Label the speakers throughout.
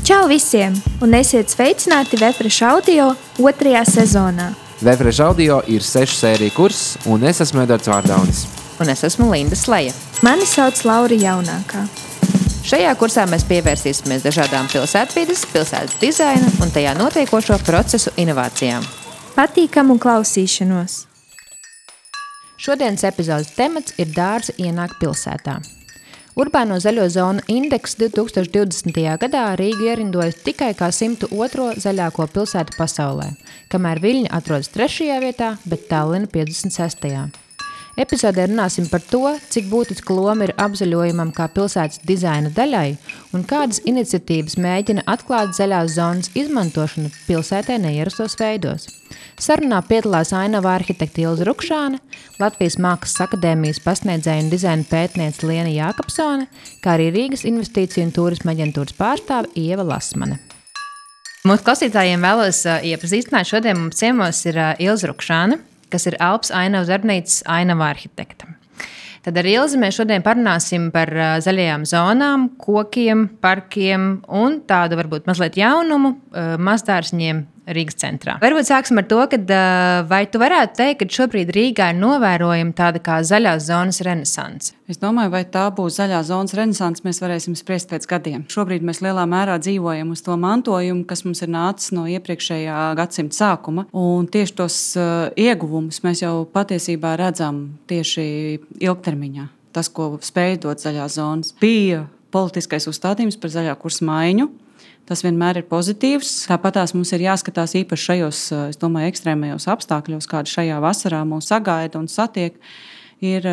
Speaker 1: Čau visiem, un esiet sveicināti Vefresh Audio 2. sezonā.
Speaker 2: Vefresh Audio ir 6 sēriju kurs, un es esmu Edvards Vārdaunis.
Speaker 3: Un es esmu Linda Sleja.
Speaker 1: Mani sauc Laura Jaunākā.
Speaker 3: Šajā kursā mēs pievērsīsimies dažādām pilsētvides, pilsētas dizaina un tajā notiekošo procesu inovācijām.
Speaker 1: Patīkamu klausīšanos!
Speaker 3: Šodienas epizodes temats ir dārzi ienāk pilsētā. Urbāno zaļo zonu indeks 2020. gadā Rīga ierindojas tikai kā 102. zaļāko pilsētu pasaulē, kamēr Viļņa atrodas 3. vietā, bet Tallina 56. Epizodē runāsim par to, cik būtiska loma ir apzaļojumam kā pilsētas dizaina daļai un kādas iniciatīvas mēģina atklāt zaļās zonas izmantošanu pilsētē neierastos veidos. Sarunā piedalās ainava arhitekte Ilze Rukšāne, Latvijas Mākslas akadēmijas pasniedzēja un dizaina pētniece Liena Jākapsone, kā arī Rīgas investīciju un turisma aģentūras pārstāve Ieva Lasmane. Mūsu klausītājiem vēlos iepazīstināt, šodien mums ciemos ir Ilze Rukšāne, kas ir Alps ainavas darbnīcas ainava arhitekta. Tad ar Ilzi mēs šodien parunāsim par zaļajām zonām, kokiem, parkiem un tādu varbūt mazliet jaunumu mazdārziņiem Rīgas centrā. Varbūt sāksim ar to, vai tu varētu teikt, ka šobrīd Rīgā ir novērojama tāda kā zaļās zonas renesanse?
Speaker 4: Es domāju, vai tā būs zaļā zonas renesanse, mēs varēsim spriest pēc gadiem. Šobrīd mēs lielā mērā dzīvojam uz to mantojumu, kas mums ir nācis no iepriekšējā gadsimta sākuma. Un tieši tos ieguvumus mēs jau patiesībā redzam tieši ilgtermiņā. Tas, ko spēj dot zaļās zonas, bija politiskais uzstādījums par zaļā kursa maiņu. Tas vienmēr ir pozitīvs. Tāpat mums ir jāskatās īpaši šajos, es domāju, ekstrēmajos apstākļos, kādi šajā vasarā mūs sagaida un satiek. Ir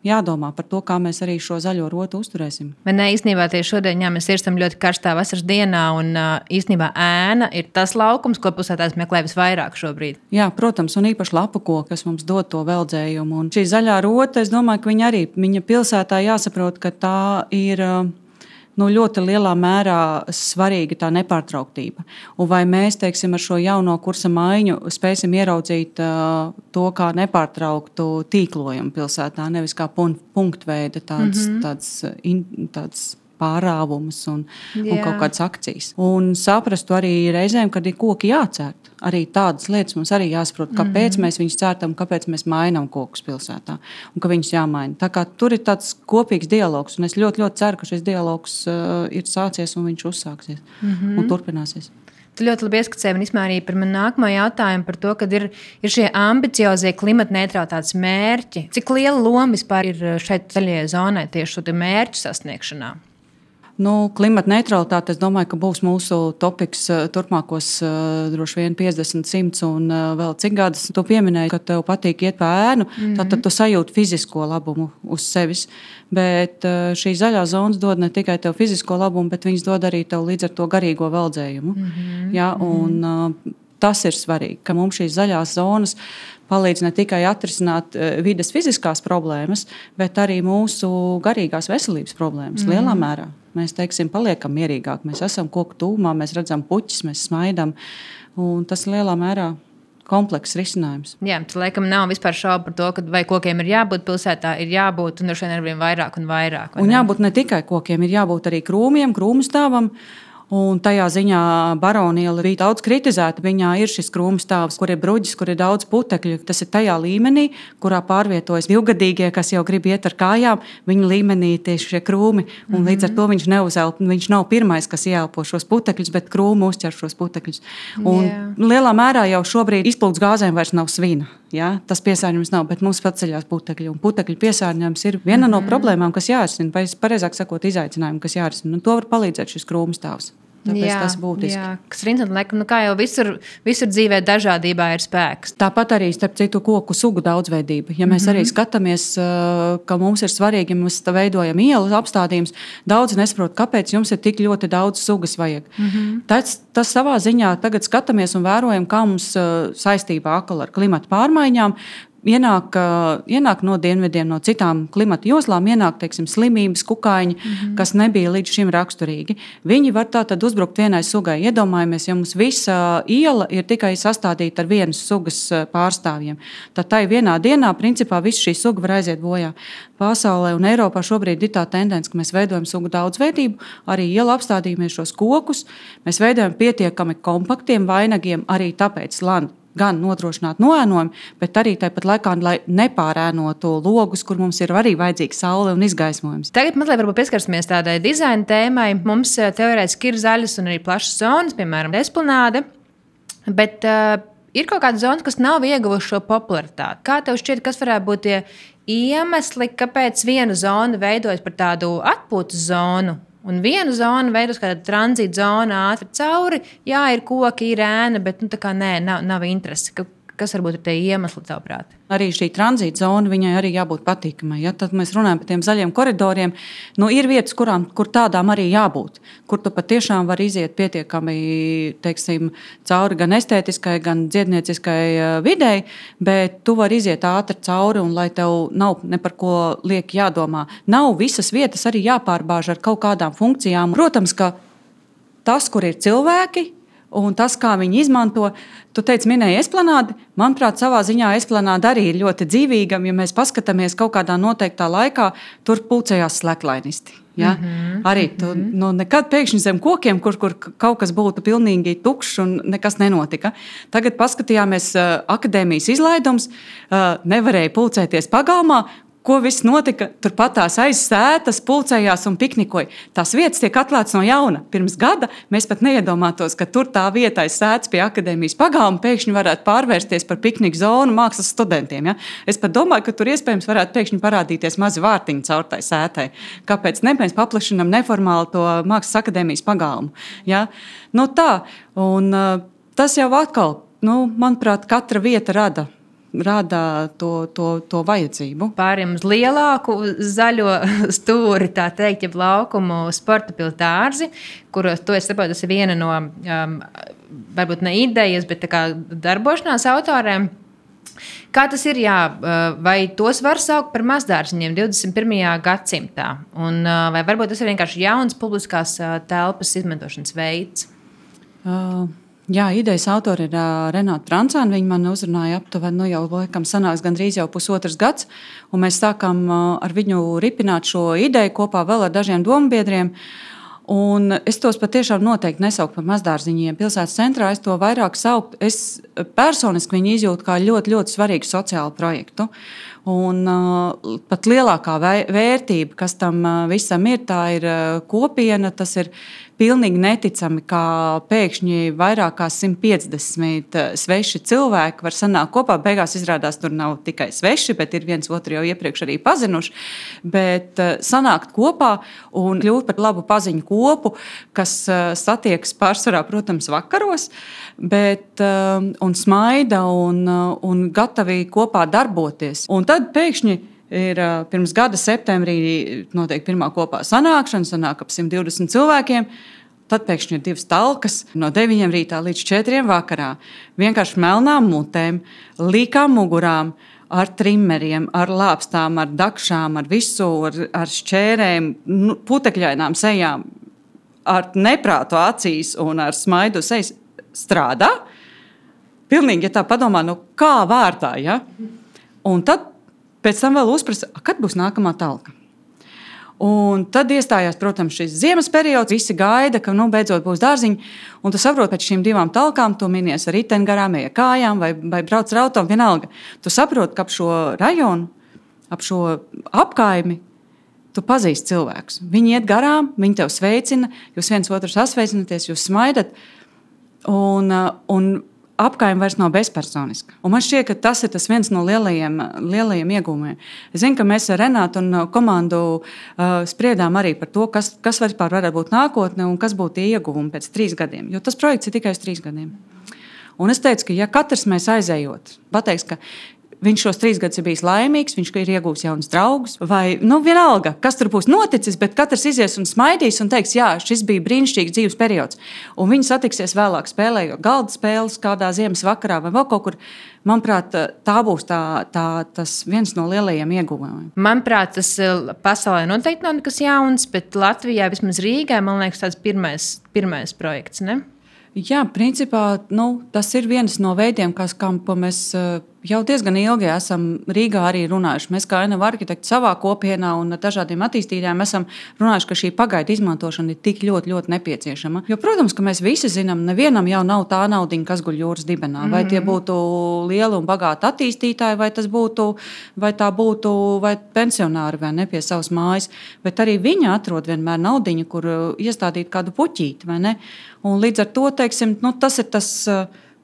Speaker 4: jādomā par to, kā mēs arī šo zaļo rotu uzturēsim.
Speaker 3: Man īstenībā tieši šodien mēs irstam ļoti karstā vasaras dienā, un īstenībā ēna ir tas laukums, ko pilsētās meklē visvairāk šobrīd.
Speaker 4: Jā, protams, un īpaši lapukoki, kas mums dod to veldzējumu. Un šī zaļā rota, es domāju, ka viņa pilsētā jāsaprot, ka tā ir ļoti lielā mērā svarīga tā nepārtrauktība. Un vai mēs, teiksim, ar šo jauno kursa maiņu spēsim ieraudzīt to kā nepārtrauktu tīklojumu pilsētā, nevis kā punktveida tāds pārāvumus un kaut kādas akcijas. Un saprastu arī reizēm, kad ir koki jācērt. Arī tādas lietas mums arī jāsaprot, kāpēc mēs viņus cērtam, kāpēc mēs mainām kokus pilsētā un ka viņus jāmaina. Tā kā tur ir tāds kopīgs dialogs, un es ļoti, ļoti ceru, ka šis dialogs ir sācies un viņš uzsāksies un turpināsies.
Speaker 3: Tu ļoti labi ieskicēji un izmēr arī par manu nākamo jautājumu par to, kad ir šie ambiciozie klimata neutralitātes mērķi. Cik liela loma vispār ir šeit zaļajai zonai tieši šo mērķu sasniegšanā?
Speaker 4: Klimata neutralitāte, es domāju, ka būs mūsu topiks turpmākos droši vien 50, 100 un vēl cik gadus. Tu pieminēji, ka tev patīk iet pa ēnu, tad tu sajūti fizisko labumu uz sevis. Bet šī zaļā zonas dod ne tikai tev fizisko labumu, bet viņas dod arī tev līdz ar to garīgo veldzējumu. Tas ir svarīgi, ka mums šīs zaļās zonas palīdz ne tikai atrisināt vides fiziskās problēmas, bet arī mūsu garīgās veselības problēmas lielā mērā. Mēs, teiksim, paliekam mierīgāk, mēs esam koku tūmā, mēs redzam puķis, mēs smaidam, un tas lielā mērā komplekss risinājums.
Speaker 3: Jā, tas laikam nav vispār šaubu par to, ka vai kokiem ir jābūt pilsētā, ir jābūt, un droši vien arvien vairāk un vairāk.
Speaker 4: Un jābūt ne tikai kokiem, ir jābūt arī krūmiem, krūmstāvam. Un tajā ziņā Baroniela bija daudz kritizēta. Viņā ir šis krūmstāvs, kur ir bruģis, kur ir daudz putekļu. Tas ir tajā līmenī, kurā pārvietojas divgadīgie, kas jau grib iet ar kājām. Viņa līmenī tieši šie krūmi. Un līdz ar to viņš neuzelp. Viņš nav pirmais, kas ieelpo šos putekļus, bet krūmi uzķer šos putekļus. Un lielā mērā jau šobrīd izplūdes gāzēm vairs nav svina. Ja? Tas piesārņojums nav, bet mums paceļās putekļi. Un putekļu piesārņojums ir viena no problēmām, kas jārisina, vai pareizāk sakot, izaicinājumi, kas jārisina. Un to var palīdzēt šis krūmstāvs. Tāpēc tas būtiski.
Speaker 3: Jā, kas ir interesanti, kā jau visur dzīvē dažādībā ir spēks.
Speaker 4: Tāpat arī, starp citu, koku sugu daudzveidība. Ja mēs arī skatāmies, ka mums ir svarīgi, ja mēs veidojam ielu apstādījumus, daudzi nesaprot, kāpēc jums ir tik ļoti daudz sugas vajag. Tas savā ziņā tagad skatāmies un vērojam, kā mums saistībā ar klimata pārmaiņām ienāk no dienvidiem, no citām klimata joslām, ienāk, teiksim, slimības, kukaiņi, kas nebija līdz šim raksturīgi. Viņi var tātad uzbrukt vienai sugai. Iedomājamies, ja mums visa iela ir tikai sastādīta ar vienas sugas pārstāvjiem. Tad tai vienā dienā, principā, visa šī suga var aiziet bojā. Pasaulē un Eiropā šobrīd ir tā tendence, ka mēs veidojam sugu daudzveidību, arī iela apstādījumies šos kokus, mēs veidojam pietiekami kompaktiem vainagiem, arī tāpēc gan nodrošināt noēnojumu, bet arī tāpat laikā, lai nepārēnotu logus, kur mums ir arī vajadzīga saule un izgaismojums.
Speaker 3: Tagad mazliet varbūt pieskarsimies tādai dizaina tēmai. Mums teorētiski ir zaļas un arī plašas zonas, piemēram, esplanāde, bet ir kaut kāda zona, kas nav ieguvuši šo popularitāti. Kā tev šķiet, kas varētu būt tie iemesli, kāpēc viena zona veidojas par tādu atpūtas zonu? Un viena zona veidos kā tranzīta zona ātri cauri. Jā, ir koki, ir ēna, bet tā kā nav interesi. Kas varbūt ir tie iemesli, tavuprāt?
Speaker 4: Arī šī tranzīta zona, viņai arī jābūt patīkamai. Ja? Tad mēs runājam par tiem zaļiem koridoriem. Ir vietas, kur tādām arī jābūt. Kur tu patiešām vari iziet pietiekami, teiksim, cauri gan estētiskai, gan dziednieciskai videi, bet tu vari iziet ātri cauri un lai tev nav ne par ko lieki jādomā. Nav visas vietas arī jāpārbāž ar kaut kādām funkcijām. Protams, ka tas, kur ir cilvēki, un tas, kā viņi izmanto, tu teici, minēji esplanādi. Manuprāt, savā ziņā esplanāda arī ir ļoti dzīvīga. Ja mēs paskatāmies kaut kādā noteiktā laikā, tur pulcējās sleklainisti. Ja? Arī tu nekad pēkšņi zem kokiem, kur kaut kas būtu pilnīgi tukšs un nekas nenotika. Tagad paskatījāmies akadēmijas izlaidums, nevarēja pulcēties pagalmā. Ko viss notika? Turpat tās aiz sētas pulcējās un piknikoja. Tās vietas tiek atklātas no jauna. Pirms gada mēs pat neiedomātos, ka tur tā vieta aiz sētas pie akadēmijas pagalma pēkšņi varētu pārvērsties par pikniku zonu mākslas studentiem. Ja? Es pat domāju, ka tur iespējams varētu pēkšņi parādīties mazi vārtiņi caur tai sētai. Kāpēc ne? Mēs paplašinām neformāli to mākslas akadēmijas pagalmu. Ja? Tā. Un tas jau atkal, manuprāt, katra vieta rada to vajadzību.
Speaker 3: Pāriem uz lielāku zaļo stūri, tā teikt, jeb laukumu sporta piltārzi, kuros, to es saprotu, tas ir viena no, varbūt ne idejas, bet tā kā darbošanās autoriem. Kā tas ir, vai tos var saukt par mazdārziņiem 21. gadsimtā? Un vai varbūt tas ir vienkārši jauns publiskās telpas izmantošanas veids?
Speaker 4: Jā, idejas autori ir Renāta Trancāna. Viņa man uzrunāja aptuveni, jau laikam sanāks gandrīz jau pusotrs gads, un mēs sākām ar viņu ripināt šo ideju kopā vēl ar dažiem dombiedriem. Un es tos patiešām noteikti nesauktu par mazdārziņiem. Pilsētas centrā es to vairāk sauktu. Es personiski viņu izjūtu kā ļoti, ļoti svarīgu sociālu projektu. Un pat lielākā vērtība, kas tam visam ir, tā ir kopiena. Tas ir pilnīgi neticami, kā pēkšņi vairāk kā 150 sveši cilvēki var sanākt kopā. Beigās izrādās, tur nav tikai sveši, bet ir viens otru jau iepriekš arī pazinuši. Bet sanākt kopā un kļūt par labu paziņu kopu, kas satiekas pārsvarā, protams, vakaros, bet un smaida un gatavi kopā darboties. Un tad pēkšņi ir pirms gada septembrī notiek pirmā kopā sanākšana, sanāk ap 120 cilvēkiem. Tad pēkšņi ir 2 talkas no 9 rītā līdz 4 vakarā. Vienkārši melnām mutēm, līkām mugurām, ar trimmeriem, ar lāpstām, ar dakšām, ar visu, ar šķērēm, putekļainām sejām, ar neprātu acīs un ar smaidu sejas strādā. Pilnīgi, ja tā padomā, kā vārtā, ja? Un tad pēc tam vēl uzprasa, kad būs nākamā talka. Un tad iestājās, protams, šis ziemas periods. Visi gaida, ka beidzot būs dārziņi. Un tu saproti, pēc šīm 2 talkām tu minies ar riteni garām, ej kājām vai brauc ar auto, vienalga. Tu saproti, ka ap šo rajonu, ap šo apkaimi, tu pazīsti cilvēkus. Viņi iet garām, viņi tev sveicina, jūs viens otru sasveicināties, jūs smaidat. Un apkaime vairs nav bezpersoniska. Un man šķiet, ka tas ir viens no lielajiem iegūmiem. Es zinu, ka mēs ar Renātu un komandu spriedām arī par to, kas vispār varētu būt nākotne un kas būtu ieguvumi pēc 3 gadiem. Jo tas projekts ir tikai uz 3 gadiem. Un es teicu, ka ja katrs mēs aizējot, pateiks, ka viņš šos 3 gadus ir bijis laimīgs, viņš ir iegūs jaunus draugus, vai vienalga, kas tur būs noticis, bet katrs izies un smaidīs un teiks, jā, šis bija brīnišķīgs dzīves periods. Un viņi satiksies vēlāk spēlējot galda spēles kādā ziemas vakarā vai vēl kaut kur. Manuprāt, tā būs tas viens no lielajiem ieguvumiem.
Speaker 3: Manuprāt, tas pasaulē noteikti nav nekas jauns, bet Latvijā, vismaz Rīgā, man liekas, tāds pirmais projekts, ne?
Speaker 4: Jā, principā tas ir viens no veidiem, ko mēs jau diezgan ilgi esam Rīgā arī runājuši. Mēs kā NV arhitekti savā kopienā un dažādiem attīstītājiem esam runājuši, ka šī pagaidu izmantošana ir tik ļoti, ļoti nepieciešama. Jo, protams, ka mēs visi zinām, nevienam jau nav tā naudiņa, kas guļ jūras dibenā. Vai tie būtu lieli un bagāti attīstītāji, vai tā būtu pensionāri vai ne pie savas mājas. Bet arī viņi atrod vienmēr naudiņu, kur iestādīt kādu puķīti, vai ne? Un līdz ar to, teiksim, tas ir tas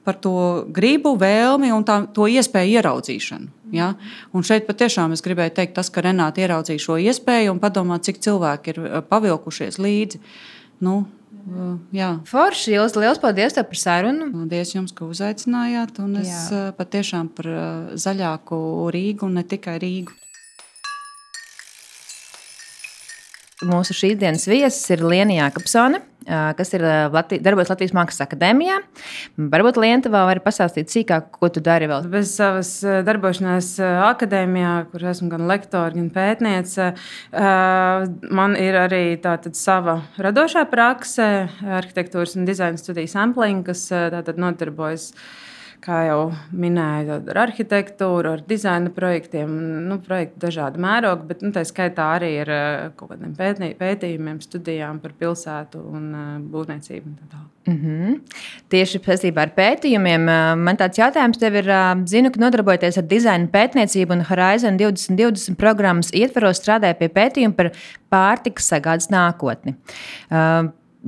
Speaker 4: par to gribu, vēlmi un to iespēju ieraudzīšanu. Ja? Un šeit patiešām es gribēju teikt, tas, ka Renāta ieraudzīja šo iespēju un padomāt, cik cilvēki ir pavilkušies līdzi. Jā.
Speaker 3: Forši, liels paldies tev par sarunu.
Speaker 4: Paldies jums, ka uzaicinājāt. Un es patiešām par zaļāku Rīgu un ne tikai Rīgu.
Speaker 3: Mūsu šīs dienas viesis ir Liena Jākapsone, kas ir darbojas Latvijas Mākslas akadēmijā. Varbūt Liena tev vēl var pastāstīt sīkāk, ko tu dari vēl.
Speaker 5: Bez savas darbošanās akadēmijā, kur esmu gan lektora, gan pētniece, man ir arī tātad sava radošā prakse, arhitektūras un dizaina studiju sampling, kas tātad nodarbojas, kā jau minēju, ar arhitektūru, ar dizaina projektiem, projekti dažādi mērogi, bet tā skaitā arī ir kaut kādiem pētījumiem, studijām par pilsētu un būvniecību.
Speaker 3: Tieši saistībā ar pētījumiem, man tāds jautājums tev ir, zinu, ka nodarbojoties ar dizaina pētniecību un Horizon 2020 programmas ietvaros strādāja pie pētījuma par pārtikas sagādes nākotni.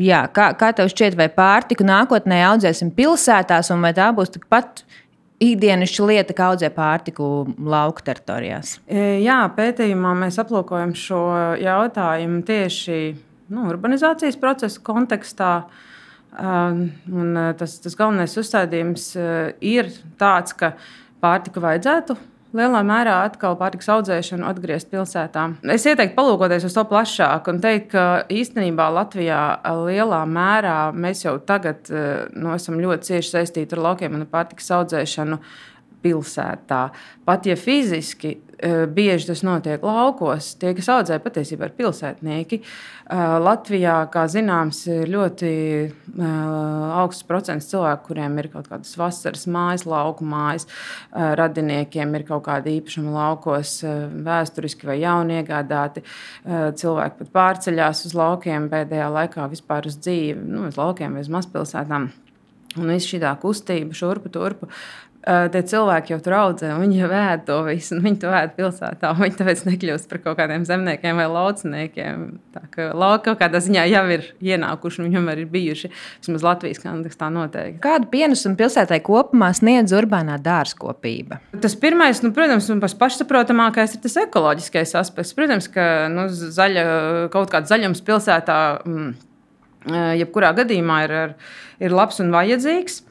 Speaker 3: Jā, kā tev šķiet, vai pārtiku nākotnē audzēsim pilsētās, un vai tā būs tikpat ikdienišķa lieta, kā audzē pārtiku lauku teritorijās?
Speaker 5: Jā, pētījumā mēs aplūkojam šo jautājumu tieši urbanizācijas procesa kontekstā. Un tas galvenais uzstādījums ir tāds, ka pārtiku vajadzētu lielā mērā atkal pārtikas audzēšanu atgriezt pilsētā. Es ieteiktu palūkoties uz to plašāk un teikt, ka īstenībā Latvijā lielā mērā mēs jau tagad esam ļoti cieši saistīti ar laukiem un pārtikas audzēšanu pilsētā. Pat ja fiziski bieži tas notiek laukos, tie, kas audzē, patiesībā ir pilsētnieki. Latvijā, kā zināms, ir ļoti augsts procents cilvēku, kuriem ir kaut kādas vasaras mājas, lauku mājas, radiniekiem ir kaut kādi īpašumi laukos, vēsturiski vai jauni iegādāti. Cilvēki pat pārceļās uz laukiem pēdējā laikā vispār uz dzīvi, uz laukiem vai uz mazpilsētām. Un viss šī tā kustība šurpu turpu. Tie cilvēki jau tur audzē, un viņi jau ēd to visu, un viņi to ēd pilsētā. Viņi tāpēc nekļūst par kaut kādiem zemniekiem vai lauciniekiem. Tā kā lauki kaut kādā ziņā jau ir ienākuši, un viņi vienmēr ir bijuši. Vismaz Latvijas kontekstā noteikti.
Speaker 3: Kādu pienesumu pilsētai kopumā sniedz urbānā dārzkopība?
Speaker 5: Tas pirmais, protams, un pašsaprotamākais ir tas ekoloģiskais aspekts. Protams, ka kaut kāds zaļums pilsētā jebkurā gadījumā ir labs un vajadzīgs.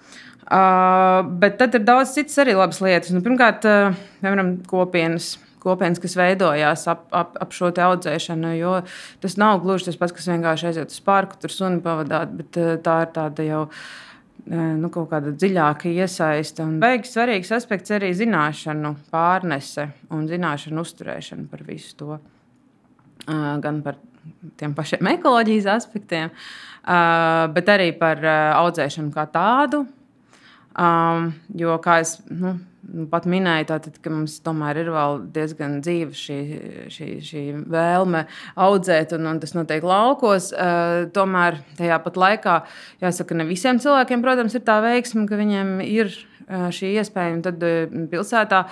Speaker 5: Bet tad ir daudz citas arī labas lietas. Pirmkārt, piemēram, kopienas, kas veidojās ap šo te audzēšanu, jo tas nav gluži tas pats, kas vienkārši aiziet uz parku, tur suni pavadāt, bet tā ir tāda jau kaut kāda dziļāka iesaiste. Un beigas svarīgs aspekts arī zināšanu pārnese un zināšanu uzturēšana par visu to. Gan par tiem pašiem ekoloģijas aspektiem, bet arī par audzēšanu kā tādu. Jo, kā es pat minēju, tātad, ka mums tomēr ir vēl diezgan dzīva šī vēlme audzēt, un tas notiek laukos. Tomēr tajā pat laikā, jāsaka, ne visiem cilvēkiem, protams, ir tā veiksme, ka viņiem ir šī iespēja. Un tad pilsētā,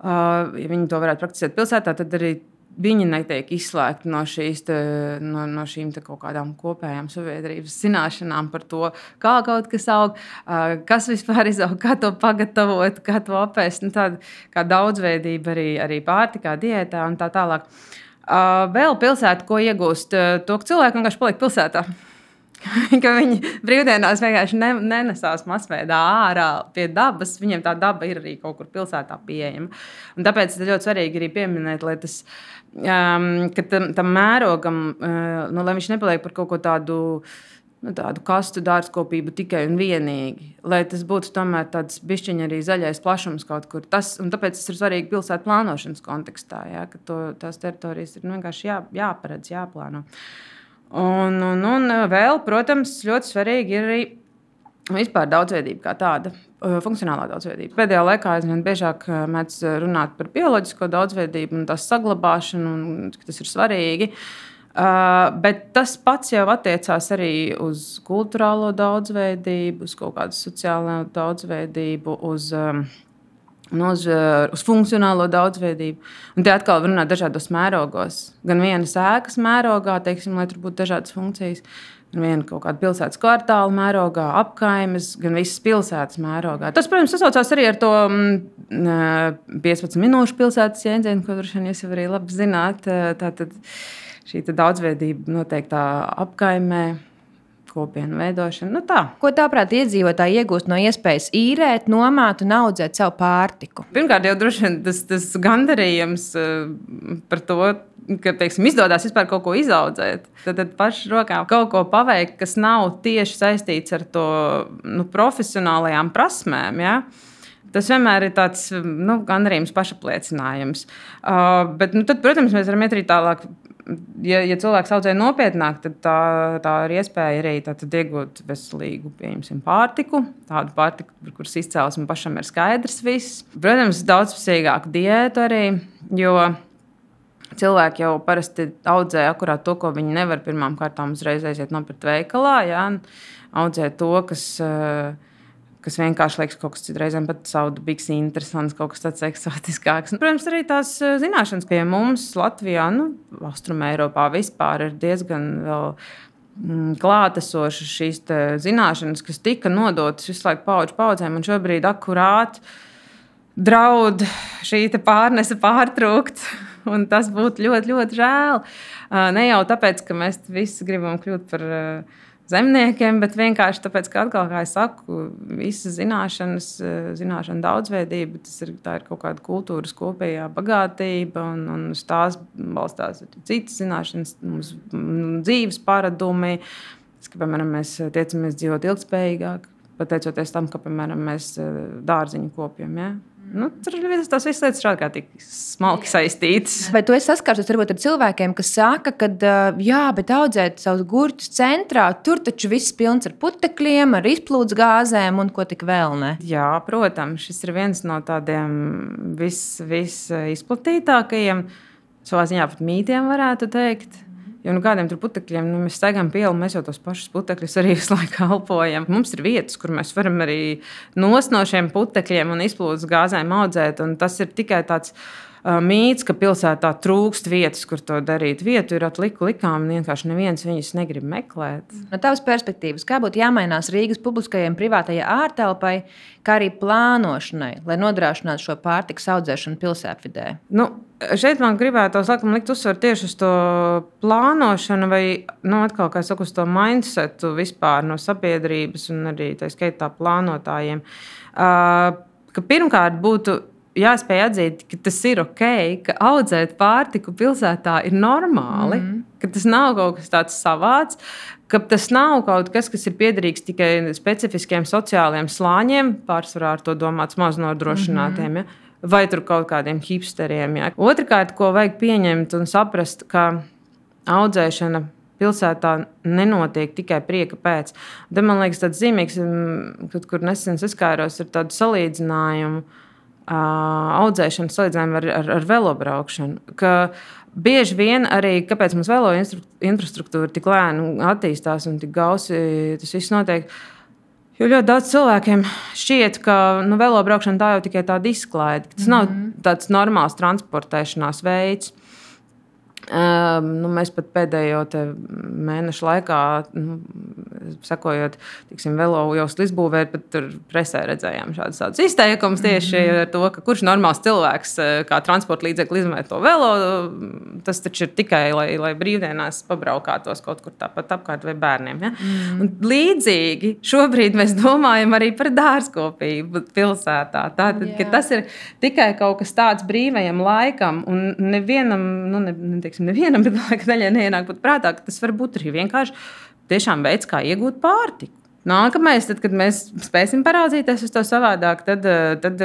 Speaker 5: ja viņi to varētu praktisēt pilsētā, tad arī viņi netiek izslēgti no šīm kaut kādām kopējām sabiedrības zināšanām par to, kā kaut kas aug, kas vispār izaug, kā to pagatavot, kā to apēst. Tāda kā daudzveidība arī pārtikā, diētā un tā tālāk. Vēl pilsēta, ko iegūst, to cilvēku vienkārši paliek pilsētā. ka viņi brīvdienās vienkārši nenesās masveidā ārā pie dabas. Viņiem tā daba ir arī kaut kur pilsētā pieejama. Un tāpēc ir ļoti svarīgi arī pieminēt, lai tas, ka tam mērogam, lai viņš nepaliek par kaut ko tādu kastu dārzkopību tikai un vienīgi. Lai tas būtu tomēr tāds bišķiņ arī zaļais plašums kaut kur. Un tāpēc tas ir svarīgi pilsētu plānošanas kontekstā, ja, ka tās teritorijas ir vienkārši jāparedz, jāplāno. Un vēl, protams, ļoti svarīgi ir arī vispār daudzveidība kā tāda, funkcionālā daudzveidība. Pēdējā laikā aizvien biežāk mēdz runāt par bioloģisko daudzveidību un tās saglabāšanu, un tas ir svarīgi. Bet tas pats jau attiecās arī uz kulturālo daudzveidību, uz kaut kādu sociālo daudzveidību, uz funkcionālo daudzveidību. Un te atkal var runāt dažādos mērogos. Gan vienas ēkas mērogā, teiksim, lai tur būtu dažādas funkcijas, gan viena kaut kāda pilsētas kvartāla mērogā, apkaimes, gan visas pilsētas mērogā. Tas, protams, sasaucās arī ar to 15 minūšu pilsētas jēdzienu, ko droši vien jūs jau arī labi zināt. Tātad šī daudzveidība noteiktā apkaimē, kopienu veidošana. Tā.
Speaker 3: Ko tāprāt iedzīvotāji iegūst no iespējas īrēt, nomāt un audzēt savu pārtiku?
Speaker 5: Pirmkārt, jau droši vien tas gandarījums par to, ka, teiksim, izdodas vispār kaut ko izaudzēt. Tad pašu rokām kaut ko paveikt, kas nav tieši saistīts ar to profesionālajām prasmēm. Ja? Tas vienmēr ir tāds gandarījums, pašapliecinājums. Bet tad, protams, mēs varam iet arī tālāk. Ja cilvēks audzē nopietnāk, tad tā ir iespēja arī iegūt veselīgu, pieņemsim, pārtiku. Tādu pārtiku, par kuras izcelsme pašam ir skaidrs viss. Protams, daudzpusīgāku diētu arī, jo cilvēki jau parasti audzē akurāt to, ko viņi nevar pirmām kārtām uzreiz aiziet nopirkt veikalā. Ja? Audzē to, kas vienkārši liekas kaut kas citreizēm pat saudabīgs, interesants, kaut kas tāds eksotiskāks. Protams, arī tās zināšanas pie mums Latvijā, Austrumēropā vispār ir diezgan vēl klātesošas šīs zināšanas, kas tika nodotas visu laiku paudžu paudzēm, un šobrīd akurāt draud šī pārnese pārtrūkt, un tas būtu ļoti, ļoti žēl. Ne jau tāpēc, ka mēs visi gribam kļūt par zemniekiem, bet vienkārši tāpēc, ka atkal, kā es saku, visas zināšana daudzveidība, tā ir kaut kāda kultūras kopējā bagātība, un uz tās balstās citas zināšanas, mums dzīves paradumi, piemēram, mēs tiecamies dzīvot ilgspējīgāk, pateicoties tam, ka, piemēram, mēs dārziņu kopjam, ja? Tur tās visas lietas ir ārkārtīgi smalki saistītas.
Speaker 3: Vai tu esi saskārusies varbūt ar cilvēkiem, kas saka, ka jā, bet audzēt savus gurķus centrā, tur taču viss pilns ar putekļiem, ar izplūdes gāzēm un ko tik vēl ne?
Speaker 5: Jā, protams, šis ir viens no tādiem visizplatītākajiem, savā ziņā pat mītiem varētu teikt. Jo kādiem tur putekļiem, mēs staigājam pielu, mēs jau tos pašus putekļus arī visu laiku elpojam. Mums ir vietas, kur mēs varam arī nost no šiem putekļiem un izplūdes gāzēm audzēt. Un tas ir tikai tāds mīts, ka pilsētā trūkst vietas, kur to darīt. Vietu ir likām, un vienkārši neviens viņus negrib meklēt.
Speaker 3: No tavas perspektīvas, kā būtu jāmainās Rīgas publiskajai privātajai ārtelpai, kā arī plānošanai, lai nodrošinātu šo pārtikas audzēšanu pilsētvidē?
Speaker 5: Šeit man gribētos likt uzsvaru tieši uz to plānošanu vai, atkal, kā es saku, uz to mindsetu vispār no sabiedrības un arī tā skaitā plānotājiem. Ka pirmkārt būtu jāspēj atzīt, ka tas ir ok, ka audzēt pārtiku pilsētā ir normāli, ka tas nav kaut kas tāds savāds, ka tas nav kaut kas ir piederīgs tikai specifiskiem sociāliem slāņiem, pārsvarā ar to domāts maznodrošinātiem, ja? Vai tur kaut kādiem hipsteriem. Ja? Otrakārt, ko vajag pieņemt un saprast, ka audzēšana pilsētā nenotiek tikai prieka pēc. Te, man liekas, tāds zīmīgs, kur nesen saskāros ar tādu salīdzinājumu, audzēšanu salīdzinājumu ar velobraukšanu. Ka bieži vien arī, kāpēc mums velo infrastruktūra tik lēni attīstās un tik gausi tas viss notiek, jo ļoti daudz cilvēkiem šķiet, ka velobraukšana tā jau tikai tāda izklaide. Tas nav tāds normāls transportēšanās veids. Mēs pat pēdējo mēnešu laikā sekojot, tiksim, velo joslu izbūvēt, bet tur presē redzējām šādus izteikumus tieši ar to, ka kurš normāls cilvēks kā transporta līdzekli izmanto to velo, tas taču ir tikai, lai brīvdienās pabraukātos kaut kur tāpat apkārt vai bērniem. Ja? Un līdzīgi šobrīd mēs domājam arī par dārzkopību pilsētā. Tātad, ka tas ir tikai kaut kas tāds brīvajam laikam, un nevienam, nevienam, bet laika daļai neienāk pat prātā, ka tas var būt arī vienkārši tiešām veids, kā iegūt pārtiku. Nākamais, tad, kad mēs spēsim paraudzīties uz to savādāk, tad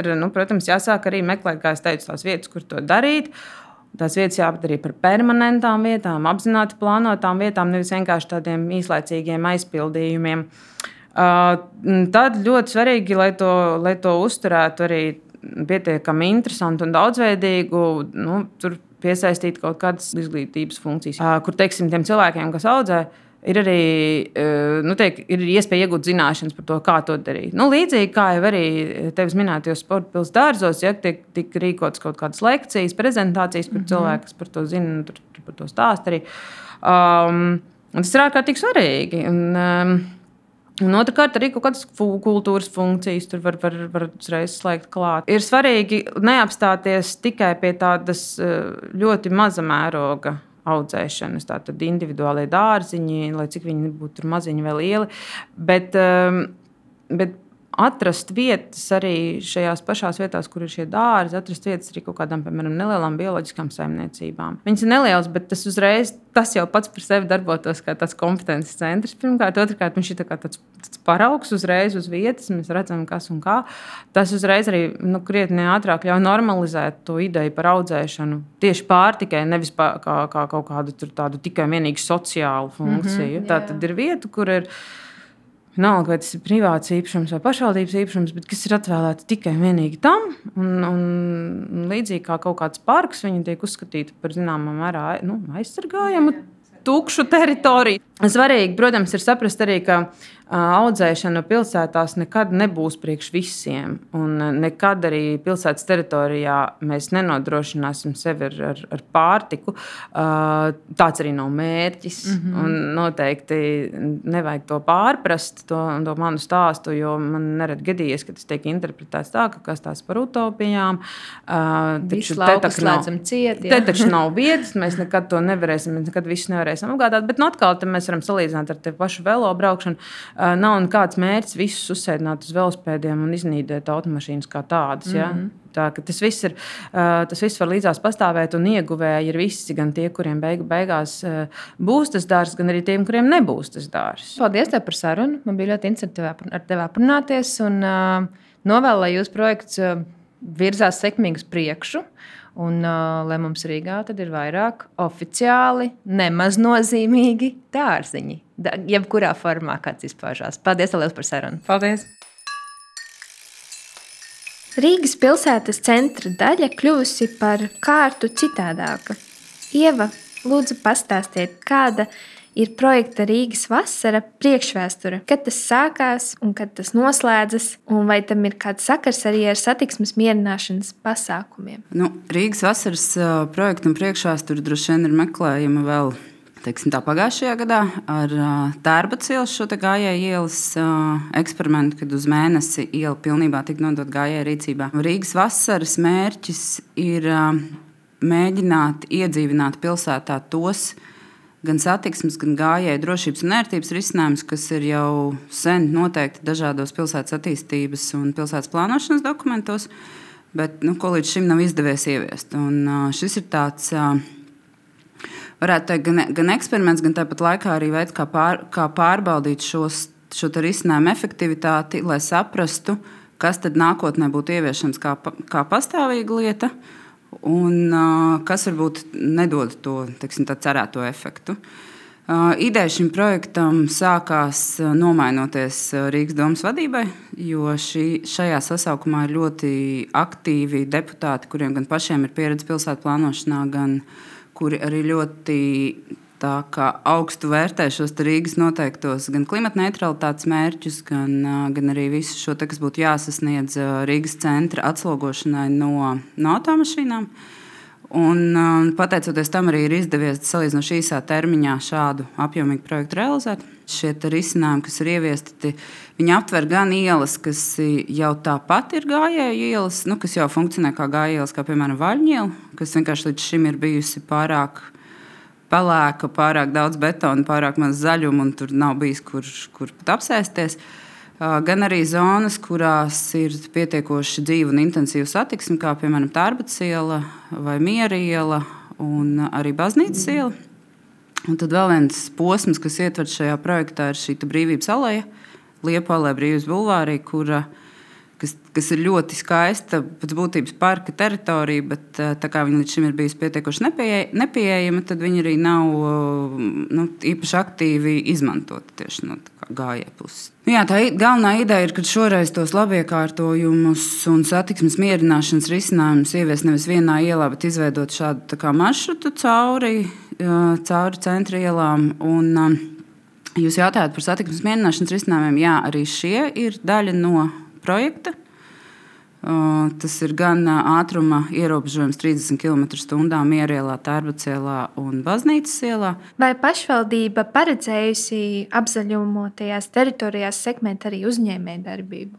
Speaker 5: ir, protams, jāsāk arī meklēt, kā es teicu, tās vietas, kur to darīt. Tās vietas jāpadara par permanentām vietām, apzināti plānotām vietām, nevis vienkārši tādiem īslaicīgiem aizpildījumiem. Tad ļoti svarīgi, lai to uzturētu arī pietiekami interesantu un daudzveidīgu, tur piesaistīt kaut kādas izglītības funkcijas, kur, teiksim, tiem cilvēkiem, kas audzē, ir arī ir iespēja iegūt zināšanas par to, kā to darīt. Līdzīgi kā jau arī tevis minētajos sporta pils dārzos, ja tiek rīkotas kaut kādas lekcijas, prezentācijas, kur cilvēki, kas par to zina, tur par to stāst arī. Tas ir ārkārtīgi svarīgi. Un otrkārt, arī kaut kādas kultūras funkcijas tur var uzreiz slēgt klāt. Ir svarīgi neapstāties tikai pie tādas ļoti maza mēroga audzēšanas, tātad individuālie dārziņi, lai cik viņi būtu maziņi vai lieli, bet atrast vietas arī šajās pašās vietās, kur ir šie dārzi, atrast vietas arī kaut kādām, piemēram, nelielām bioloģiskām saimniecībām. Viņas ir nelielas, bet tas jau pats par sevi darbotos kā tāds kompetences centrs. Pirmkārt, otrkārt, viņš ir tāds paraugs uzreiz uz vietas, mēs redzam, kas un kā. Tas uzreiz arī krietni ātrāk ļauj normalizēt to ideju par audzēšanu tieši pārtikai, nevis kā kaut kādu tādu tikai vienīgi sociālu funkciju. Tā tad ir vieta, kur ir nav, vai tas ir privāts īpašums vai pašvaldības īpašums, bet kas ir atvēlēti tikai vienīgi tam. Un līdzīgi kā kaut kāds parks, viņi tiek uzskatīti par zināmā mērā aizsargājamu tukšu teritoriju. Svarīgi, protams, ir saprast arī, ka audzēšana pilsētās nekad nebūs priekš visiem. Un nekad arī pilsētas teritorijā mēs nenodrošināsim sevi ar pārtiku. Tāds arī nav mērķis. Un noteikti nevajag to pārprast, to manu stāstu, jo man nerad gadījies, ka tas tiek interpretēts tā, ka kas tās par utopijām.
Speaker 3: Visu lauku slēdzam ciet.
Speaker 5: Te taču nav vietas, mēs nekad to nevarēsim, mēs nekad visu nevarēsim apgādāt. Bet atkal mēs varam salīdzināt ar te pašu velo braukšanu. Nav nekāds mērķis visus uzsēdināt uz velospēdiem un iznīdēt automašīnas kā tādas. Ja? Tā, tas viss var līdzās pastāvēt, un ieguvēji ir visi, gan tie, kuriem beigās būs tas dārzs, gan arī tiem, kuriem nebūs tas dārzs.
Speaker 3: Paldies tev par sarunu. Man bija ļoti interesanti ar tevi aprunāties, un novēlu, lai jūsu projekts virzās sekmīgi uz priekšu. Un, lai mums Rīgā tad ir vairāk oficiāli, nemaznozīmīgi dārziņi. Jebkurā formā, kāds izpaužās. Paldies liels par sarunu.
Speaker 5: Paldies!
Speaker 1: Rīgas pilsētas centra daļa kļuvusi par kārtu citādāka. Ieva, lūdzu pastāstiet, kāda ir projekta Rīgas vasara priekšvēsture, kad tas sākās un kad tas noslēdzas, un vai tam ir kāds sakars arī ar satiksmes mierināšanas pasākumiem?
Speaker 6: Rīgas vasaras projekta un priekšvēsture droši vien ir meklējama vēl pagājušajā gadā ar Tērbatas ielas šo gājēju ielas eksperimentu, kad uz mēnesi iela pilnībā tika nodot gājēju rīcībā. Rīgas vasaras mērķis ir mēģināt iedzīvināt pilsētā tos gan satiksmes, gan gājēju drošības un ērtības risinājumus, kas ir jau sen noteikti dažādos pilsētas attīstības un pilsētas plānošanas dokumentos, bet ko līdz šim nav izdevies ieviest. Un šis ir tāds, varētu teikt, gan eksperiments, gan tāpat laikā arī veids, kā pārbaudīt šo risinājumu efektivitāti, lai saprastu, kas tad nākotnē būtu ieviešams kā pastāvīga lieta, un kas varbūt nedod to cerēto efektu. Ideja šim projektam sākās nomainoties Rīgas domas vadībai, jo šajā sasaukumā ir ļoti aktīvi deputāti, kuriem gan pašiem ir pieredze pilsētu plānošanā, gan kuri arī ļoti augstu vērtē šos Rīgas noteiktos gan klimatneitralitātes mērķus, gan arī visu šo, kas būtu jāsasniedz Rīgas centra atslogošanai no automašīnām. Un, pateicoties tam, arī ir izdevies salīdzinoši īsā termiņā šādu apjomīgu projektu realizēt. Šie risinājumi, kas ir ieviesti, viņi aptver gan ielas, kas jau tāpat ir gājēju ielas, kas jau funkcionē kā gājēju ielas, kā piemēram Vaļņiela, kas vienkārši līdz šim ir bijusi pārāk pelēka, pārāk daudz betona, pārāk maz zaļuma, un tur nav bijis, kur pat apsēsties. Gan arī zonas, kurās ir pietiekoši dzīva un intensīva satiksme, kā piemēram Tārbatas iela vai Miera iela un arī Baznīcas iela. Un tad vēl viens posms, kas ietverts šajā projektā, ir šī Brīvības aleja, Liepu aleja Brīvības bulvārī, kas ir ļoti skaista, pēc būtības parka teritorija, bet tā kā viņa līdz šim ir bijusi pietiekoši nepieejama, tad viņa arī nav īpaši aktīvi izmantota tieši no gājēju puses. Jā, tā galvenā ideja ir, ka šoreiz tos labiekārtojumus un satiksmes mierināšanas risinājumus ievies nevis vienā ielā, bet izveidot šādu maršrutu cauri centra ielām. Un, jūs jautājat par satiksmes mierināšanas risinājumiem. Jā, arī šie ir daļa no projekta. Tas ir gan ātruma ierobežojums 30 km/h Mierielā, Tārbatas ielā un Baznīcas ielā.
Speaker 1: Vai pašvaldība paredzējusi apzaļumotajās teritorijās sekmēt arī uzņēmējdarbību?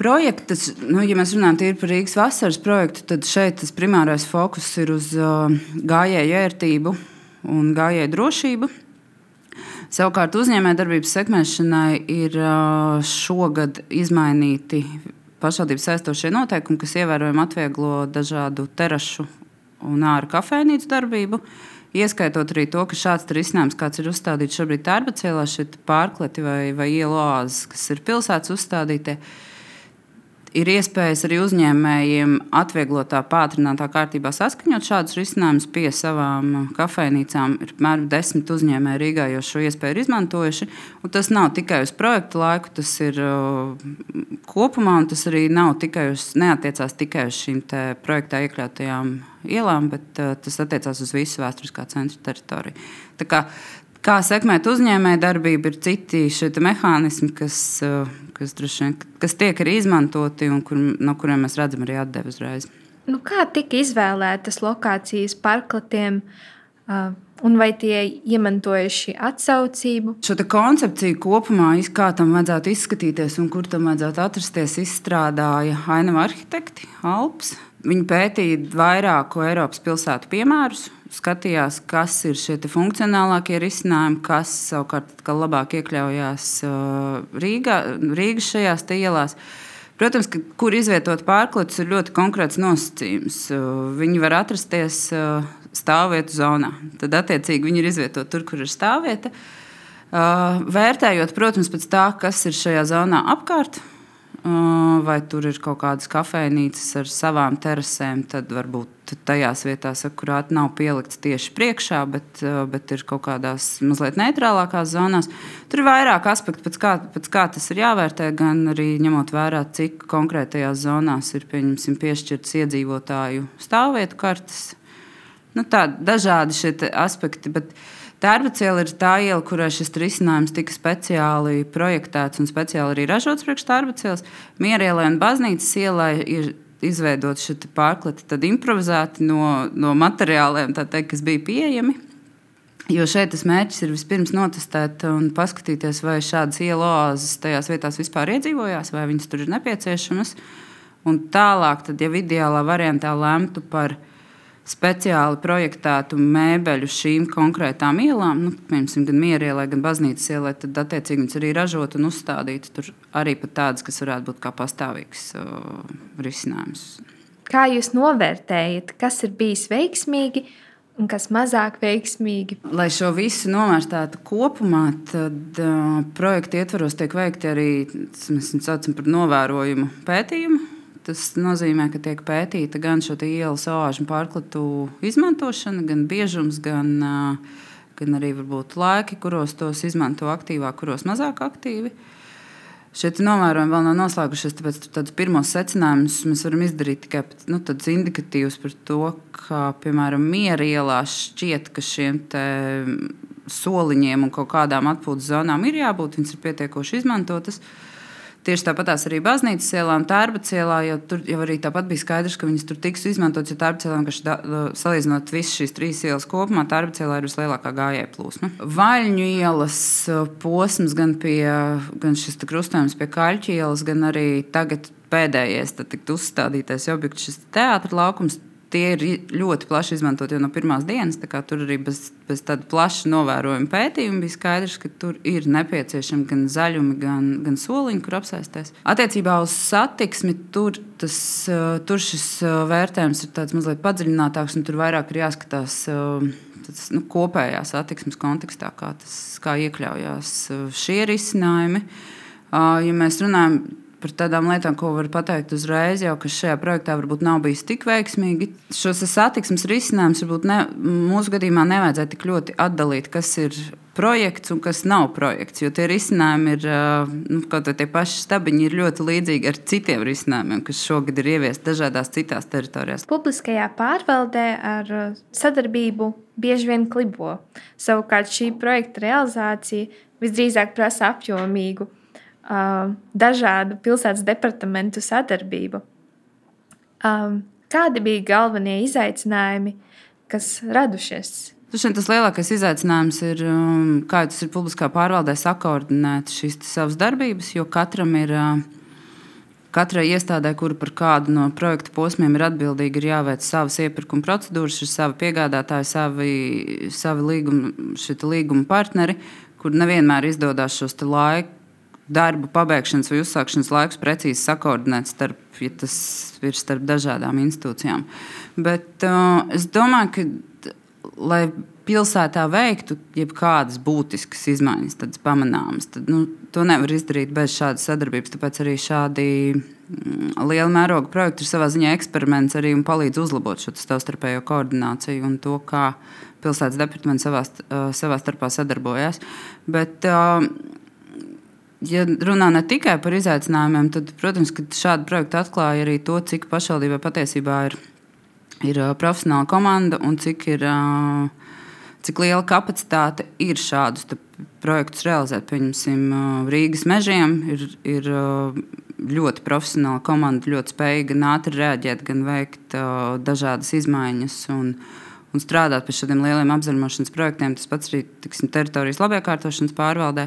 Speaker 6: Projekts, ja mēs runājam tīri par Rīgas vasaras projektu, tad šeit tas primārais fokus ir uz gājēju ērtību un gājēju drošību. Savukārt uzņēmējdarbības sekmēšanai ir šogad izmainīti pašvaldības saistošie noteikumi, kas ievērojami atvieglo dažādu terašu un āra kafejnīcu darbību, ieskaitot arī to, ka šāds risinājums, kāds ir uzstādīts šobrīd Tārbatas ielā, šie pārkleti vai ielu oāzes, kas ir pilsētas uzstādītie, ir iespējas arī uzņēmējiem atvieglotā, pātrinātā kārtībā saskaņot šādus risinājumus pie savām kafejnīcām. Ir apmēram 10 uzņēmēji Rīgā jau šo iespēju ir izmantojuši. Un tas nav tikai uz projektu laiku, tas ir kopumā, un tas arī neatiecās tikai uz šīm projektā iekļautajām ielām, bet tas attiecās uz visu vēsturiskā centra teritoriju. Tā kā sekmēt uzņēmēju darbību, ir citi šie mehānismi, kas tiek arī izmantoti un no kuriem mēs redzam arī atdevi uzreiz.
Speaker 1: Kā tika izvēlētas lokācijas parkletiem un vai tie iemantojuši atsaucību?
Speaker 6: Šo koncepciju kopumā, kā tam vajadzētu izskatīties un kur tam vajadzētu atrasties, izstrādāja Ainava arhitekti Alps. Viņi pētīja vairāku Eiropas pilsētu piemērus, skatījās, kas ir šie funkcionālākie risinājumi, kas savukārt labāk iekļaujās Rīgas šajās ielās. Protams, ka kur izvietot pārkletus ir ļoti konkrēts nosacījums. Viņi var atrasties stāvvietu zonā. Tad, attiecīgi, viņi ir izvietoti tur, kur ir stāvvieta. Vērtējot, protams, pēc tā, kas ir šajā zonā apkārt, vai tur ir kaut kādas kafejnīcas ar savām terasēm, tad varbūt tajās vietās akurāt nav pielikts tieši priekšā, bet ir kaut kādās mazliet neitrālākās zonās. Tur ir vairāk aspektu, pēc kā tas ir jāvērtē, gan arī ņemot vērā, cik konkrētajās zonās ir piešķirts iedzīvotāju stāvvietu kartes. Dažādi šie aspekti, bet Tārbatas iela ir tā iela, kurai šis risinājums tika speciāli projektēts un speciāli arī ražots priekš Tārbatas ielas. Miera ielai un Baznīcas ielai ir izveidot šie pārkleti improvizēti no materiāliem, kas bija pieejami. Jo šeit tas mērķis ir vispirms notestēt un paskatīties, vai šādas ielu oāzes tajās vietās vispār iedzīvojās, vai viņas tur ir nepieciešamas. Un tālāk, tad, ja ideālā variantā lemtu par speciāli projektētu mēbeļu šīm konkrētām ielām, piemēram, gan Miera ielai, gan Baznīcas ielai, tad attiecīgi viņas arī ražot un uzstādīt tur arī pat tādas, kas varētu būt kā pastāvīgs risinājums.
Speaker 1: Kā jūs novērtējat, kas ir bijis veiksmīgi un kas mazāk veiksmīgi?
Speaker 6: Lai šo visu novērtētu kopumā, tad projekta ietvaros tiek veikti arī, mēs saucam par novērojumu pētījumu. Tas nozīmē, ka tiek pētīta gan šo ielas oāžu pārkletu izmantošana, gan biežums, gan arī varbūt laiki, kuros tos izmanto aktīvāk, kuros mazāk aktīvi. Šie novērojumi vēl nav noslēgušies, tāpēc tādus pirmos secinājumus mēs varam izdarīt tikai tādus indikatīvus par to, ka, piemēram, Miera ielā šķiet, ka šiem soliņiem un kaut kādām atpūtas zonām ir jābūt, viņas ir pietiekoši izmantotas. Tieši tāpatās arī baznīcas ielā un Tērbatas ielā, jo tur jau arī tāpat bija skaidrs, ka viņas tur tiks izmantotas, jo Tērbatas ielā, salīdzinot visas šīs 3 ielas kopumā, Tērbatas ielā ir vislielākā gājēju plūsma. Vaļņu ielas posms gan šis krustojums pie Kaļķu ielas, gan arī tagad pēdējais tikt uzstādītais objekts, šis teātra laukums. Tie ir ļoti plaši izmantot jau no pirmās dienas. Tur arī bez tāda plaša novērojuma pētījuma bija skaidrs, ka tur ir nepieciešami gan zaļumi, gan soliņi, kur apsēsties. Attiecībā uz satiksmi tur šis vērtējums ir tāds mazliet padziļinātāks, un tur vairāk ir jāskatās kopējā satiksmes kontekstā, kā iekļaujās šie risinājumi. Ja mēs runājam par tādām lietām, ko var pateikt uzreiz, jau kas šajā projektā varbūt nav bijis tik veiksmīgi. Šos satiksmes risinājumus varbūt mūsu gadījumā nevajadzētu tik ļoti atdalīt, kas ir projekts un kas nav projekts. Jo tie risinājumi ir, kaut vai tie paši stabiņi, ir ļoti līdzīgi ar citiem risinājumiem, kas šogad ir ieviesti dažādās citās teritorijās.
Speaker 1: Publiskajā pārvaldē ar sadarbību bieži vien klibo. Savukārt šī projekta realizācija visdrīzāk prasa apjomīgu dažādu pilsētas departamentu sadarbību. Kādi bija galvenie izaicinājumi, kas radušies?
Speaker 6: Tas lielākais izaicinājums ir, kā tas ir publiskā pārvaldē, sakoordinēt šīs savas darbības, jo katrai iestādē, kura par kādu no projekta posmiem ir atbildīga, ir jāveic savas iepirkuma procedūras, ir savi piegādātāji, savi līguma partneri, kur nevienmēr izdodas šos darbu pabeigšanas vai uzsākšanas laikus precīzi sakoordinēt starp dažādām institūcijām. Bet es domāju, ka, lai pilsētā veiktu jebkādas būtiskas izmaiņas, tādas pamanāmas, tad to nevar izdarīt bez šādas sadarbības. Tāpēc arī šādi liela mēroga projekti ir savā ziņā eksperiments arī un palīdz uzlabot šo savstarpējo koordināciju un to, kā pilsētas departamenti savā starpā sadarbojas. Bet ja runā ne tikai par izaicinājumiem, tad, protams, ka šādi projekti atklāja arī to, cik pašvaldībā patiesībā ir profesionāla komanda un cik liela kapacitāte ir šādus projektus realizēt. Pieņemsim, Rīgas mežiem ir ļoti profesionāla komanda, ļoti spēja gan ātri reaģēt, gan veikt dažādas izmaiņas un strādāt pie šādiem lieliem apzaļumošanas projektiem. Tas pats arī teritorijas labiekārtošanas pārvaldē.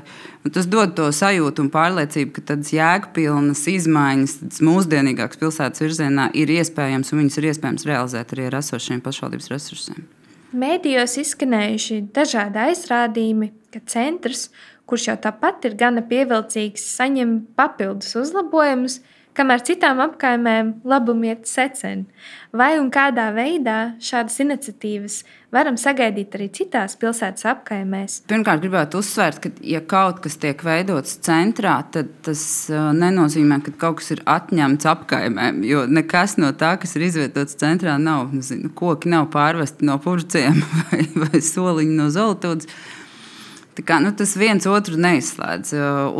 Speaker 6: Un tas dod to sajūtu un pārliecību, ka tādas jēgpilnas izmaiņas, tādas mūsdienīgākas pilsētas virzienā ir iespējams, un viņas ir iespējams realizēt arī ar esošiem pašvaldības resursiem.
Speaker 1: Mēdījos izskanējuši dažādi aizrādījumi, ka centrs, kurš jau tāpat ir gana pievilcīgs, saņem papildus uzlabojumus, kamēr citām apkaimēm labumi iet seceni. Vai un kādā veidā šādas iniciatīvas varam sagaidīt arī citās pilsētas apkaimēs?
Speaker 6: Pirmkārt, gribētu uzsvērt, ka, ja kaut kas tiek veidots centrā, tad tas nenozīmē, ka kaut kas ir atņemts apkaimēm, jo nekas no tā, kas ir izvietots centrā, nav. Koki nav pārvesti no Purciem vai soliņi no Zoltūdas. Tas viens otru neizslēdz.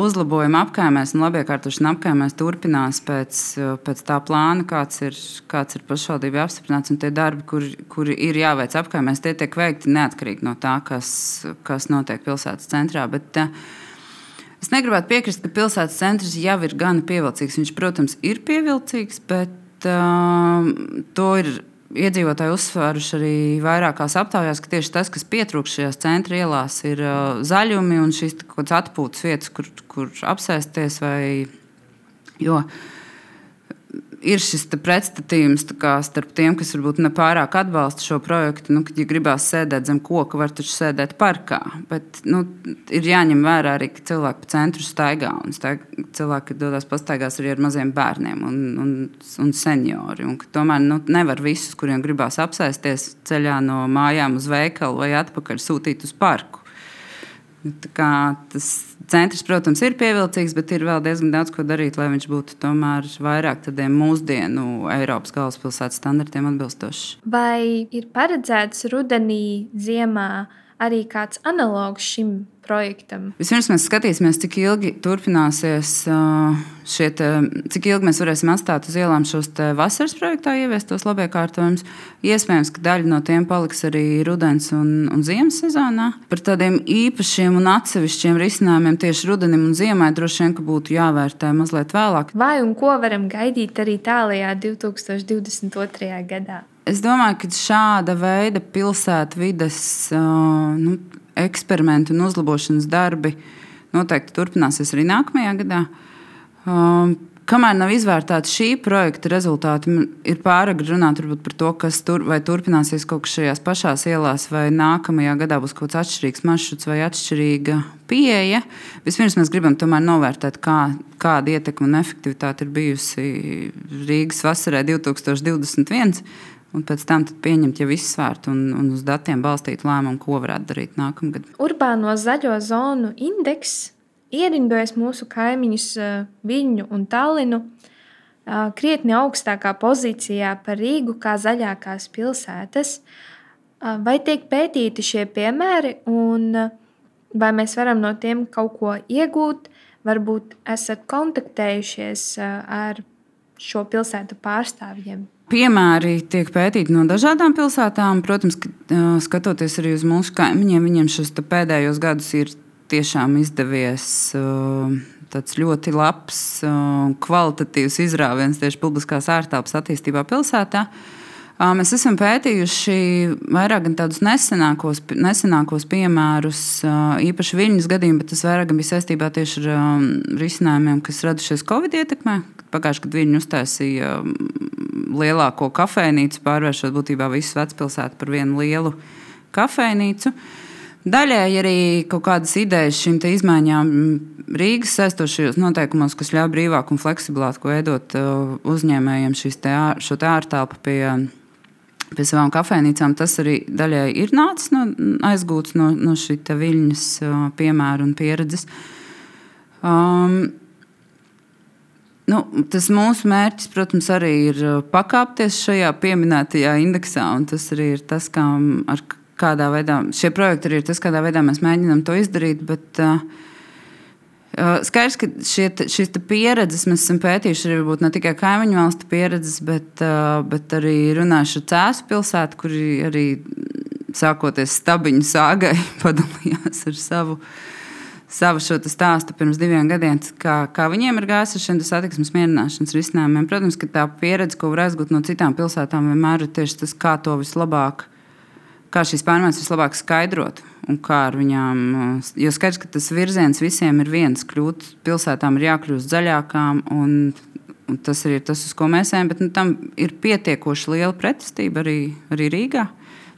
Speaker 6: Uzlabojuma apkaimēs un labiekārtošana apkaimēs turpinās pēc tā plāna, kāds ir pašvaldībai apstiprināts. Un tie darbi, kuri ir jāveic apkaimēs, tie tiek veikti neatkarīgi no tā, kas notiek pilsētas centrā. Bet es negribētu piekrist, ka pilsētas centrs jau ir gana pievilcīgs. Viņš, protams, ir pievilcīgs, bet to ir iedzīvotāji uzsvēruši arī vairākās aptaujās, ka tieši tas, kas pietrūkst šajās centra ielās, ir zaļumi un šīs kaut kādas atpūtas vietas, kur apsēsties. Jo ir šis pretstatījums starp tiem, kas varbūt nepārāk atbalsta šo projektu. Kad ja gribās sēdēt zem koka, var taču sēdēt parkā. Bet ir jāņem vērā arī, ka cilvēki pa centru staigā. Cilvēki dodas pastaigās arī ar maziem bērniem un seniori. Un tomēr nevar visus, kuriem gribās apsēsties ceļā no mājām uz veikalu vai atpakaļ sūtīt uz parku. Tas centrs, protams, ir pievilcīgs, bet ir vēl diezgan daudz ko darīt, lai viņš būtu tomēr vairāk tādiem mūsdienu Eiropas galvaspilsētas standartiem atbilstošs.
Speaker 1: Vai ir paredzēts rudenī, ziemā arī kāds analogs šim projektam?
Speaker 6: Vispirms mēs skatīsimies, cik ilgi turpināsies cik ilgi mēs varēsim atstāt uz ielām šos vasaras projektā ieviestos labiekārtojumus. Iespējams, ka daļa no tiem paliks arī rudens un ziemas sezonā. Par tādiem īpašiem un atsevišķiem risinājumiem tieši rudenim un ziemai droši vien, ka būtu jāvērtē mazliet vēlāk.
Speaker 1: Vai un ko varam gaidīt arī tālajā 2022. gadā?
Speaker 6: Es domāju, ka šāda veida pilsētvides eksperimenti un uzlabošanas darbi noteikti turpināsies arī nākamajā gadā. Kamēr nav izvērtēti šī projekta rezultāti, ir pāragri runāt par to, kas vai turpināsies kaut kas šajās pašās ielās, vai nākamajā gadā būs kaut kāds atšķirīgs maršruts vai atšķirīga pieeja. Vispirms mēs gribam tomēr novērtēt, kāda ietekme un efektivitāte ir bijusi Rīgas vasarai 2021. Un pēc tam pieņemt jau izsvērtu un uz datiem balstītu lēmumu, ko varētu darīt nākamgad.
Speaker 1: Urbāno zaļo zonu indeks ierindojas mūsu kaimiņus Viļņu un Tallinu krietni augstākā pozīcijā par Rīgu kā zaļākās pilsētas. Vai tiek pētīti šie piemēri un vai mēs varam no tiem kaut ko iegūt? Varbūt esat kontaktējušies ar šo pilsētu pārstāvjiem?
Speaker 6: Piemēri tiek pētīti no dažādām pilsētām. Protams, skatoties arī uz mūsu kaimiņiem, viņiem šos pēdējos gadus ir tiešām izdevies tāds ļoti labs, kvalitatīvs izrāviens tieši publiskās ārtelpas attīstībā pilsētā. Mēs esam pētījuši vairāk gan tādus nesenākos piemērus, īpaši Viļņas gadījumu, bet tas vairāk bija saistībā tieši ar risinājumiem, kas radušies Covid ietekmē. Pagājuši, kad Viļņu uztaisīja lielāko kafejnīcu, pārvēršot būtībā visu vecpilsētu par vienu lielu kafejnīcu. Daļēji arī kaut kādas idejas šīm izmaiņām Rīgas saistošajos noteikumos, kas ļauj brīvāk un fleksiblāk veidot uzņēmējiem šo ārtelpu pie savām kafejnīcām. Tas arī daļēji ir nācis aizgūts no šī Viļņas piemēra un pieredzes. Tas mūsu mērķis, protams, arī ir pakāpties šajā pieminētajā indeksā, un tas arī ir tas, kādā veidā šie projekti arī ir tas, kādā veidā mēs mēģinām to izdarīt. Bet skaidrs, ka šīs pieredzes mēs esam pētījuši arī varbūt ne tikai kaimiņu valstu pieredzes, bet arī runājuši ar Cēsu pilsētu, kuri arī sākoties Stabiņu sāgai padalījās ar savu šo stāstu pirms 2 gadiem, kā viņiem ir gājis ar šiem satiksmes mierināšanas risinājumiem. Protams, ka tā pieredze, ko var aizgūt no citām pilsētām, vienmēr ir tieši tas, kā šīs pārmaiņas vislabāk skaidrot un kā ar viņām. Jo skaidrs, ka tas virziens visiem ir viens. Pilsētām ir jākļūst zaļākām, un tas ir tas, uz ko mēs ejam, bet tam ir pietiekoši liela pretestība arī Rīgā.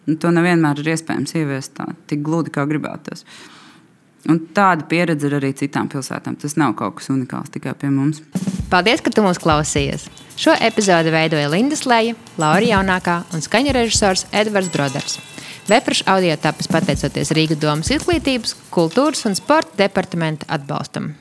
Speaker 6: Un to nevienmēr ir iespējams ieviest tik gludi, kā gribētos. Un tāda pieredze ir arī citām pilsētām. Tas nav kaut kas unikāls tikai pie mums.
Speaker 3: Paldies, ka tu mūs klausījies! Šo epizodi veidoja Linda Sleja, Laura Jaunākā un skaņu režisors Edvards Broders. Vēprašu audio tapis pateicoties Rīgas domas izglītības, kultūras un sporta departamenta atbalstam.